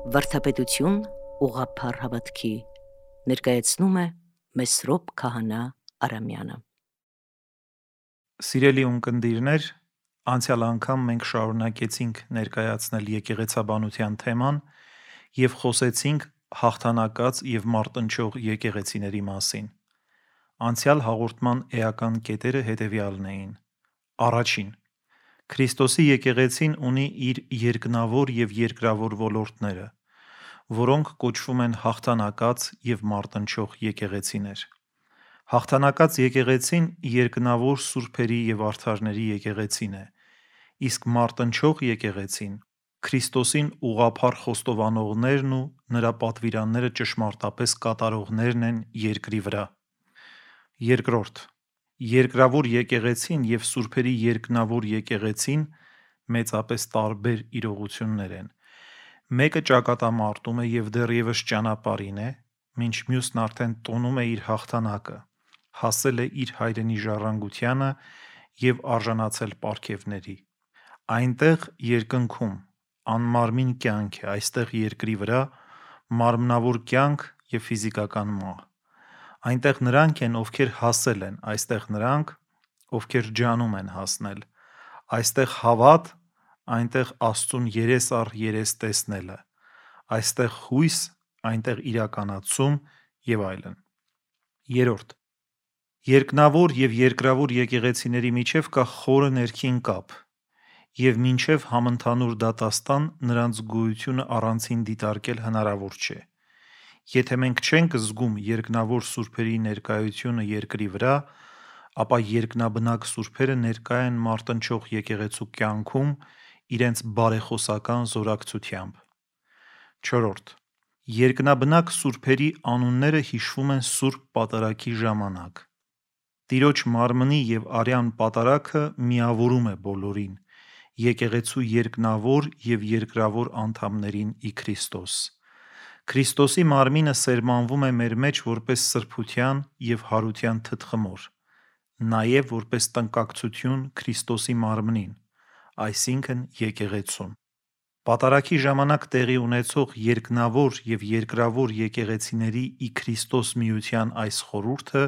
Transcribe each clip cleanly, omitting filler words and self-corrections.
Վարդապետություն ուղղափառ հավատքի ներկայացնում է Մեսրոպ Քահանա Արամյանը։ Սիրելի ունկնդիրներ, անցյալ անգամ մենք շարունակեցինք ներկայացնել եկեղեցաբանության թեման և խոսեցինք հաղթանակած և մարտնչող եկեղեցիների մասին։ Անցյալ հաղորդման էական կետերը հետևյալն էին. Առաջին. Քրիստոսի եկեղեցին ունի իր երկնավոր և երկրավոր ոլորտները, որոնք կոչվում են հաղթանակած և մարտնչող եկեղեցիներ։ Հաղթանակած եկեղեցին երկնավոր սուրբերի և արդարների եկեղեցին է, իսկ մարտնչող եկեղեցին Քրիստոսին ուղղափառ խոստովանողներն ու նրա պատվիրանները ճշմարտապես կատարողներն են երկրի վրա։ Երկրորդ. Երկրավոր եկեղեցին և սուրբերի երկնավոր եկեղեցին մեծապես տարբեր իրողություններ են։ Մեկը ճակատամարտում է և դեռևս ճանապարհին է, մինչ մյուսն արդեն տոնում է իր հաղթանակը, հասել է իր հայրենի ժառանգությանը և արժանացել պարգևների։ Այնտեղ երկնքում անմարմին կյանք է, այստեղ երկրի վրա մարմնավոր կյանք և ֆիզիկական մահ։ Այնտեղ նրանք են, ովքեր հասել են, այստեղ նրանք, ովքեր ջանում են հասնել, այստեղ հավատ, այնտեղ Աստծուն երես առ երես տեսնելը, այստեղ հույս, այնտեղ իրականացում և այլն։ Երրորդ. Երկնավոր և երկրավոր եկեղեցիների միջև կա խորը ներքին կապ, և մինչև համընդհանուր դատաստան նրանց գոյությունը առանցին դիտարկել հնարավոր չէ։ Եթե մենք չենք զգում երկնավոր սուրբերի ներկայությունը երկրի վրա, ապա երկնաբնակ սուրբերը ներկա են մարտնչող եկեղեցու կյանքում իրենց բարեխոսական զորակցությամբ։ Չորրորդ. Երկնաբնակ սուրբերի անունները հիշվում են Սուրբ Պատարագի ժամանակ։ Տիրոջ մարմնի և արյան պատարագը միավորում է բոլորին՝ եկեղեցու երկնավոր և երկրավոր անդամներին ի Քրիստոս։ Քրիստոսի մարմինը սերմանվում է մեր մեջ որպես սրբության և հարության թտխմոր, նաև որպես տնկակցություն Քրիստոսի մարմնին, այսինքն եկեղեցուն։ Պատարագի ժամանակ տեղի ունեցող երկնավոր և երկրավոր եկեղեցիների ի Քրիստոս միության այս խորհուրդը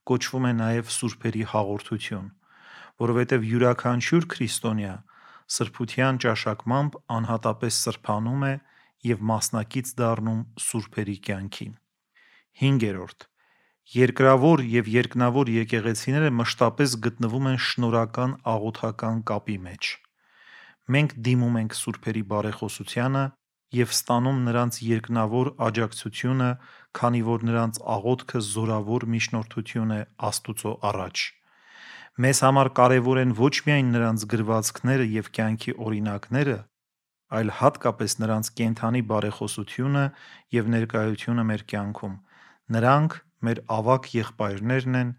կոչվում է նաև սուրբերի հաղորդություն, որովհետև յուրաքանչյուր քրիստոնյա սրբության ճաշակմամբ անհատապես սրբանում է և մասնակից դառնում սուրբերի կյանքին։ Հինգերորդ. Երկրավոր և երկնավոր եկեղեցիները մշտապես գտնվում են շնորհական աղոթական կապի մեջ։ Մենք դիմում ենք սուրբերի բարեխոսությանը և ստանում նրանց երկնավոր աջակցությունը, քանի որ նրանց աղոթքը զորավոր միջնորդություն է Աստուծո առաջ։ Մեզ համար կարևոր են ոչ միայն նրանց գրվածքները և կյանքի օրինակները, այլ հատկապես նրանց կենդանի բարեխոսությունը և ներկայությունը մեր կյանքում։ Նրանք մեր ավագ եղբայրներն են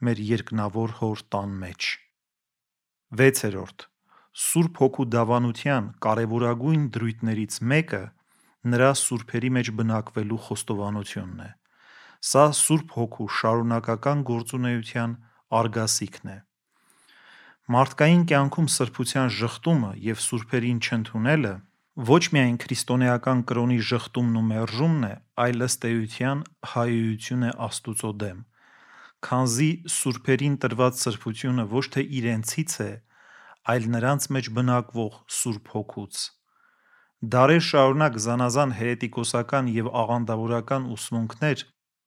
մեր երկնավոր Հոր տան մեջ։ Վեցերորդ. Սուրբ Հոգու դավանության կարևորագույն դրույթներից մեկը նրա սուրբերի մեջ բնակվելու խոստովանությունն է։ Սա Սուրբ Հոգու շարունակական գործունեության արգասիքն է։ Մարդկային կյանքում սրբության ժխտումը և սուրբերին չընդունելը ոչ միայն քրիստոնեական կրոնի ժխտումն ու մերժումն է, այլ ըստ էության հայհոյություն է Աստուծո դեմ, քանզի սուրբերին տրված սրբությունը ոչ թե իրենցից է, այլ նրանց մեջ բնակվող Սուրբ Հոգուց։ Դարեր շարունակ զանազան հերետիկոսական և աղանդավորական ուսմունքներ,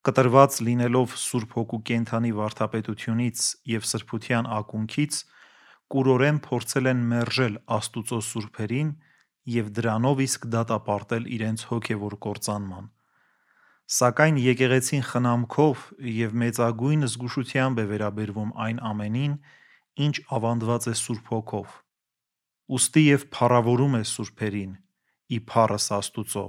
կտրված լինելով Սուրբ Հոգու կենդանի վարդապետությունից և սրբության ակունքից, կուրորեն փորձել են մերժել Աստուծո սուրբերին և դրանով իսկ դատապարտել իրենց հոգևոր կործանման։ Սակայն եկեղեցին խնամքով և մեծագույն զգուշությամբ է վերաբերվում այն ամենին, ինչ ավանդված է Սուրբ Հոգով, ուստի և փառավորում է սուրբերին՝ ի փառս Աստուծո,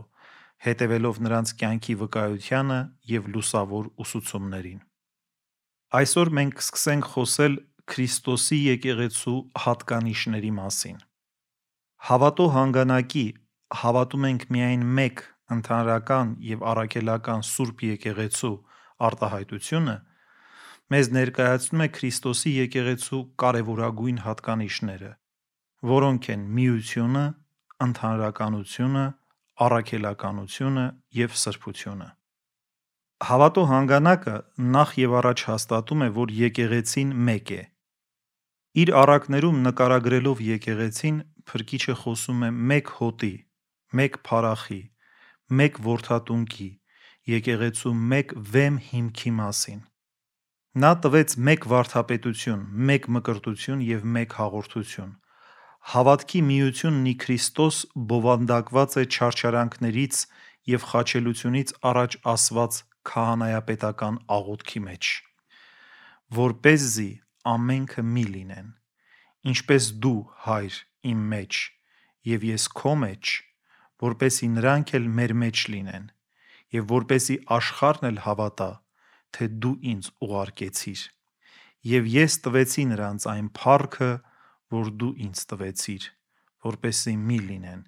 հետևելով նրանց կյանքի վկայությանը և լուսավոր ուսուցումներին։ Այսօր մենք կսկսենք խոսել Քրիստոսի եկեղեցու հատկանիշների մասին։ Հավատո հանգանակի «Հավատում ենք միայն մեկ, ընդհանրական և առաքելական Սուրբ Եկեղեցու» արտահայտությունը մեզ ներկայացնում է Քրիստոսի եկեղեցու կարևորագույն հատկանիշները, որոնք են միությունը, ընդհանրականությունը, առաքելականությունը և սրբությունը։ Հավատո հանգանակը նախ եւ առաջ հաստատում է, որ եկեղեցին մեկ է։ Իր առակներում նկարագրելով եկեղեցին, Փրկիչը խոսում է մեկ հոտի, մեկ փարախի, մեկ որդատունկի, եկեղեցու մեկ վեմ հիմքի մասին։ Նա տվեց մեկ վարդապետություն, մեկ մկրտություն և մեկ հաղորդություն։ Հավատքի միությունն ի Քրիստոս բովանդակված է չարչարանքներից և խաչելությունից առաջ ասված քահանայապետական աղոթքի մեջ, որպեսզի ամենքը մի լինեն, ինչպես դու, Հայր, իմ մեջ, և ես քո մեջ, որպեսզի նրանք էլ մեր մեջ լինեն, և որպեսզի աշխարհն էլ հավատա, թե դու ինձ ուղարկեցիր, և ես տվեցի նրանց այն փառքը, որ դու ինձ տվեցիր, որպեսզի մի լինեն,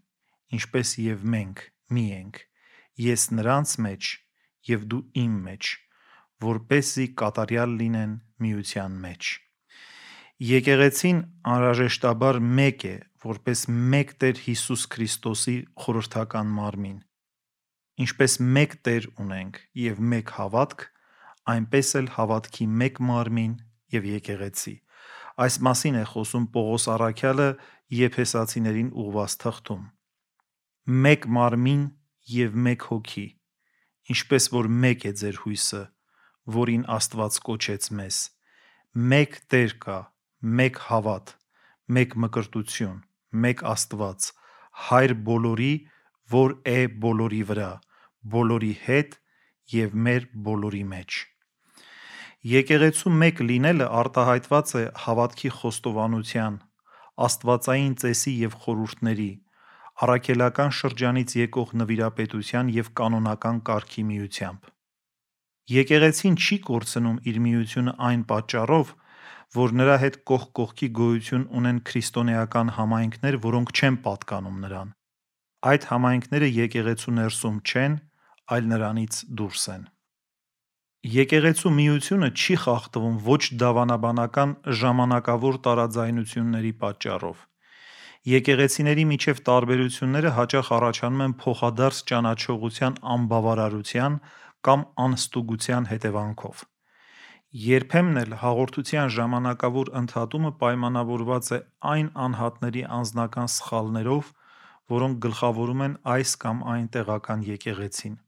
ինչպես և մենք մի ենք, ես նրանց մեջ և դու իմ մեջ, որպեսզի կատարյալ լինեն միության մեջ։ Եկեղեցին անհրաժեշտաբար մեկ է, որպես մեկ Տեր Հիսուս Քրիստոսի խորհրդական մարմին։ Ինչպես մեկ Տեր ունենք և մեկ հավատք, այնպես էլ հավատքի մեկ մարմին և եկեղեցի։ Այս մասին է խոսում Պողոս առաքյալը Եփեսացիներին ուղղված թղթում։ Մեկ մարմին և մեկ հոգի, ինչպես որ մեկ է ձեր հույսը, որին Աստված կոչեց մեզ։ Մեկ Տեր կա, մեկ հավատ, մեկ մկրտություն, մեկ Աստված, Հայր բոլորի, որ է բոլորի վրա, բոլորի հետ և մեր բոլորի մեջ։ Եկեղեցու մեկ լինելը արտահայտված է հավատքի խոստովանության, աստվածային ծեսի և խորհուրդների, առաքելական շրջանից եկող նվիրապետության և կանոնական կարգի միությամբ։ Եկեղեցին չի կորցնում իր միությունը այն պատճառով, որ նրա հետ կողք կողքի գոյություն ունեն քրիստոնեական համայնքներ, որոնք չեն պատկանում նրան։ Այդ համայնքները եկեղեցու ներսում չեն, այլ նրանից դուրս են։ Եկեղեցու միությունը չի խախտվում ոչ դավանաբանական ժամանակավոր տարաձայնությունների պատճառով։ Եկեղեցիների միջև տարբերությունները հաճախ առաջանում են փոխադարձ ճանաչողության անբավարարության կամ անհստուգության հետևանքով։ Երբեմն էլ հաղորդության ժամանակավոր ընդհատումը պայմանավորված է այն անհատների անձնական սխալներով, որոնք գլխավորում են այս կամ այն տեղական եկեղեցին։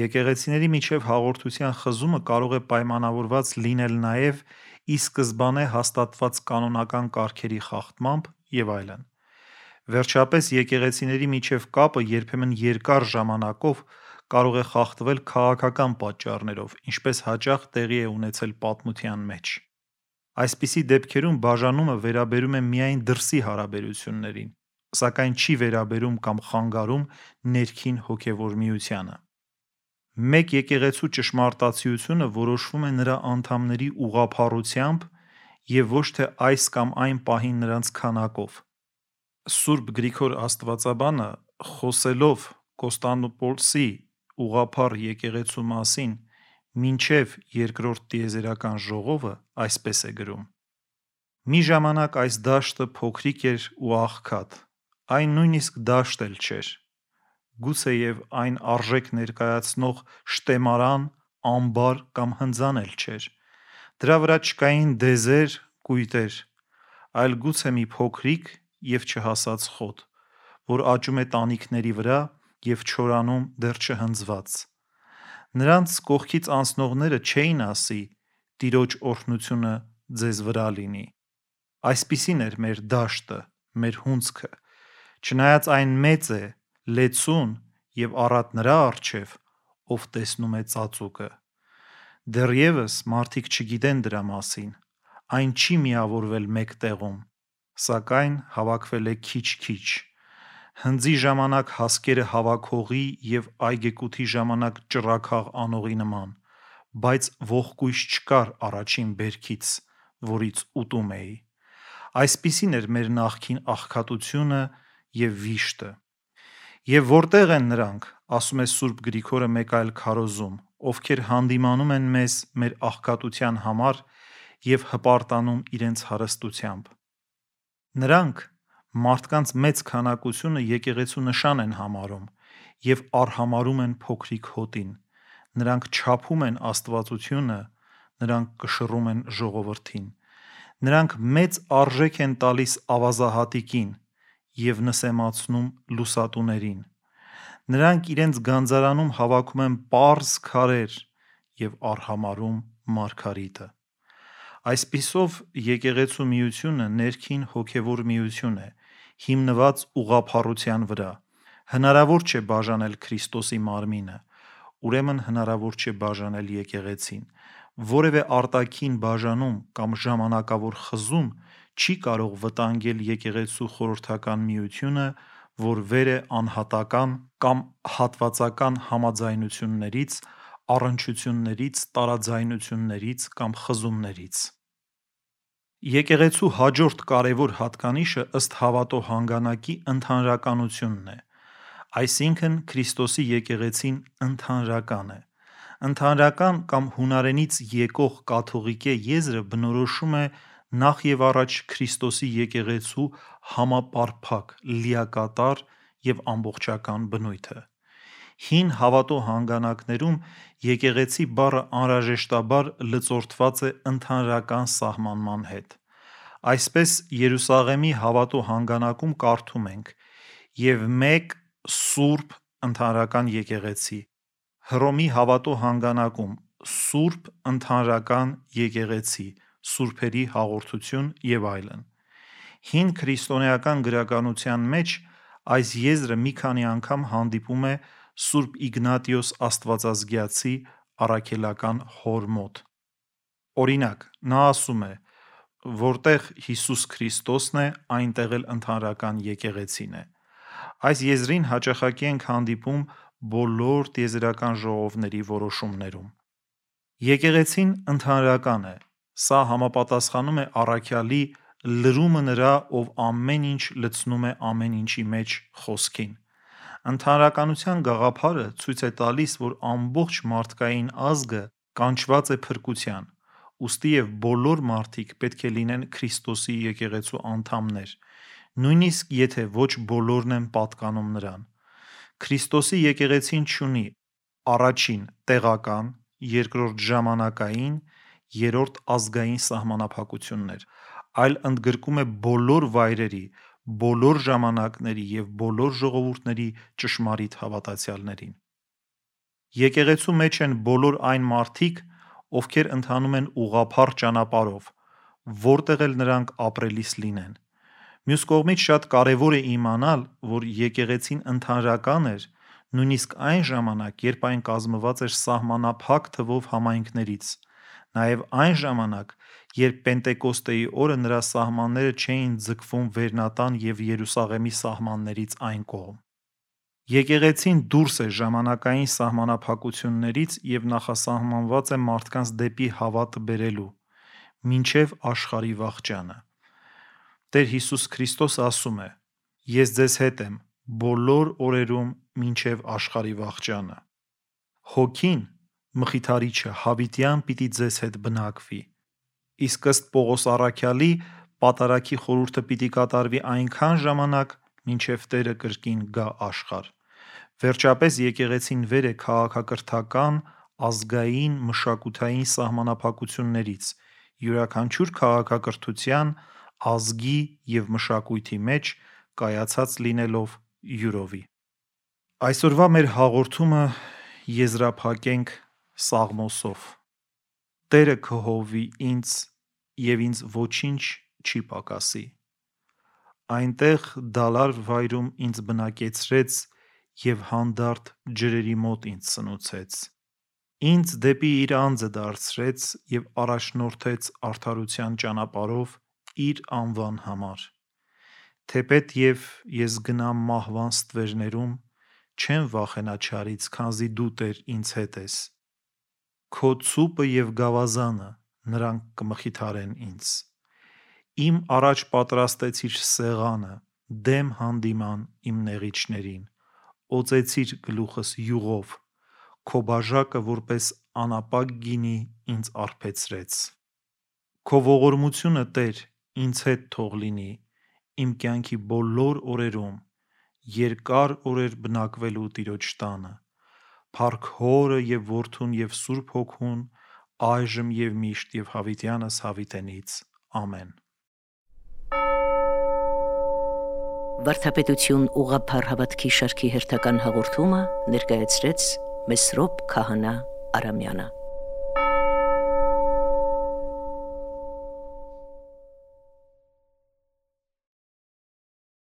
Եկեղեցիների միջև հաղորդության խզումը կարող է պայմանավորված լինել նաև ի սկզբանե հաստատված կանոնական կարգերի խախտմամբ և այլն։ Վերջապես, եկեղեցիների միջև կապը երբեմն երկար ժամանակով կարող է խախտվել քաղաքական պատճառներով, ինչպես հաճախ տեղի է ունեցել պատմության մեջ։ Այսպիսի դեպքերում բաժանումը վերաբերում է միայն դրսի հարաբերություններին, սակայն չի վերաբերում կամ խանգարում ներքին հոգևոր միությանը։ Մեկ եկեղեցու ճշմարտացիությունը որոշվում է նրա անդամների ուղղափառությամբ և ոչ թե այս կամ այն պահին նրանց քանակով։ Սուրբ Գրիգոր Աստվածաբանը, խոսելով Կոստանդնուպոլսի ուղղափառ եկեղեցու մասին մինչև Երկրորդ տիեզերական ժողովը, այսպես է գրում. «Մի ժամանակ այս դաշտը փոքրիկ էր ու աղքատ, այն նույնիսկ դաշտ էլ չէր, գուցեև այն արժեք ներկայացնող շտեմարան, ամբար կամ հնձան էլ չէր, դրա վրա չկային դեզեր, կույտեր, այլ գուցե մի փոքրիկ և չհասած խոտ, որ աճում է տանիքների վրա և չորանում դեռ չհնձված։ Նրանց կողքից անցնողները չէին ասի. «Տիրոջ օրհնությունը ձեզ վրա լինի»։ Այսպիսին էր մեր դաշտը, մեր հունձքը, չնայած այն մեծ է, լեցուն և առատ նրա առջև, ով տեսնում է ծածուկը։ Դեռևս մարդիկ չգիտեն դրա մասին, այն չի միավորվել մեկ տեղում, սակայն հավաքվել է քիչ-քիչ, հնձի ժամանակ հասկերը հավաքողի և այգեկութի ժամանակ ճռագաղ անողի նման, բայց ողկույզ չկար առաջին բերքից, որից ուտում էի։ Այսպիսին էր մեր նախկին աղքատությունը և վիշտը։ Եվ որտե՞ղ են նրանք, ասում է Սուրբ Գրիգորը մեկ այլ քարոզում, ովքեր հանդիմանում են մեզ մեր աղքատության համար և հպարտանում իրենց հարստությամբ։ Նրանք մարդկանց մեծ քանակությունը եկեղեցու նշան են համարում և արհամարում են փոքրիկ հոտին, նրանք չափում են աստվածությունը, նրանք կշռում են ժողովրդին, նրանք մեծ արժեք են տալիս ավազահատիկին և նսեմացնում լուսատուներին, նրանք իրենց գանձարանում հավաքում են պարզ քարեր և արհամարում մարգարիտը։ Այսպիսով եկեղեցու միությունը ներքին հոգևոր միություն է, հիմնված ուղղափառության վրա։ Հնարավոր չէ բաժանել Քրիստոսի մարմինը, ուրեմն հնարավոր չէ բաժանել եկեղեցին։ Որևէ արտաքին բաժանում կամ ժամանակավոր խզում չի կարող վտանգել եկեղեցու խորհրդական միությունը, որ վեր է անհատական կամ հատվածական համաձայնություններից, առնչություններից, տարաձայնություններից կամ խզումներից։ Եկեղեցու հաջորդ կարևոր հատկանիշը ըստ հավատո հանգանակի ընդհանրականությունն է, այսինքն Քրիստոսի եկեղեցին ընդհանրական է։ Ընդհանրական կամ հունարենից եկող կաթողիկե եզրը բնորոշում է նախ և առաջ Քրիստոսի եկեղեցու համապարփակ, լիակատար և ամբողջական բնույթը։ Հին հավատո հանգանակներում եկեղեցի բառը անհրաժեշտաբար լծորդված է ընդհանրական սահմանման հետ։ Այսպես Երուսաղեմի հավատո հանգանակում կարդում ենք «և մեկ սուրբ ընդհանրական եկեղեցի», Հռոմի հավատո հանգանակում «Սուրբ ընդհանրական եկեղեցի», «Սուրբերի հաղորդություն» և այլն։ Հին քրիստոնեական գրականության մեջ այս եզրը մի քանի անգամ հանդիպում է Սուրբ Իգնատիոս Աստվածազգյացի առաքելական հոր մոտ։ Օրինակ, նա ասում է. «Որտեղ Հիսուս Քրիստոսն է, այնտեղ էլ ընդհանրական եկեղեցին է»։ Այս եզրին հաճախակի ենք հանդիպում բոլոր տիեզերական ժողովների որոշումներում։ Եկեղեցին ընդհանրական է։ Սա համապատասխանում է առաքյալի «լրումը նրա, ով ամեն ինչ լցնում է ամեն ինչի մեջ» խոսքին։ Ընդհանրականության գաղափարը ցույց է տալիս, որ ամբողջ մարդկային ազգը կանչված է փրկության, ուստի և բոլոր մարդիկ պետք է լինեն Քրիստոսի եկեղեցու անդամներ, նույնիսկ եթե ոչ բոլորն են պատկանում նրան։ Քրիստոսի եկեղեցին չունի առաջին տեղական, երկրորդ ժամանակային, երրորդ ազգային սահմանափակություններ, այլ ընդգրկում է բոլոր վայրերի, բոլոր ժամանակների և բոլոր ժողովուրդների ճշմարիտ հավատացյալներին։ Եկեղեցու մեջ են բոլոր այն մարդիկ, ովքեր ընթանում են ուղղափառ ճանապարհով, որտեղ էլ նրանք ապրելիս լինեն։ Մյուս կողմից շատ կարևոր է իմանալ, որ եկեղեցին ընդհանրական էր նույնիսկ այն ժամանակ, երբ այն կազմված էր սահմանափակ թվով համայնքներից, նաև այն ժամանակ, երբ Պենտեկոստեի օրը նրա սահմանները չէին ձգվում Վերնատան և Երուսաղեմի սահմաններից այն կողմ։ Եկեղեցին դուրս է ժամանակային սահմանափակություններից և նախասահմանված է մարդկանց դեպի հավատը բերելու, մինչև աշխարհի վախճանը։ Տեր Հիսուս Քրիստոսը ասում է. «Ես ձեզ հետ եմ բոլոր օրերում մինչև աշխարհի վախճանը»։ Հոգին, Մխիթարիչը, հավիտյան պիտի ձեզ հետ բնակվի։ Իսկ ըստ Պողոս առաքյալի, պատարագի խորհուրդը պիտի կատարվի այնքան ժամանակ, մինչև Տերը կրկին գա աշխարհ։ Վերջապես եկեղեցին վեր է քաղաքակրթական, ազգային, մշակութային սահմանափակություններից, յուրաքանչյուր քաղաքակրթության, ազգի և մշակույթի մեջ կայացած լինելով յուրովի։ Այսօրվա մեր հաղորդումը եզրափակենք Սաղմոսով. «Տերը կհովվի ինձ, և ինձ ոչինչ չի պակասի։ Այնտեղ դալար վայրում ինձ բնակեցրեց և հանդարտ ջրերի մոտ ինձ սնուցեց։ Ինձ դեպի իր անձը դարձրեց և առաջնորդեց արդարության ճանապարհով իր անվան համար։ Թեպետ և ես գնամ մահվան ստվերներում, չեմ վախենա չարից, քանզի դու, Տեր, ինձ հետ ես։ Քո ցուպը և գավազանը նրանք կմխիթարեն ինձ։ Իմ առաջ պատրաստեցիր սեղանը, դեմ հանդիման իմ նեղիչներին, օծեցիր գլուխս յուղով, քո բաժակը որպես անապակ գինի ինձ արբեցրեց։ Քո ողորմությունը, Տեր, ինձ հետ թող լինի իմ կյանքի բոլոր օրերում, երկար օրեր բնակվելու Տիրոջ տանը։ Փառք Հորը եւ Որդուն եւ Սուրբ Հոգուն, այժմ եւ միշտ եւ հավիտյանս հավիտենից։ Ամեն։ Վարդապետություն ուղղափառ հավատքի շարքի հերթական հաղորդումը ներկայացրեց Մեսրոպ Քահանա Արամյանը։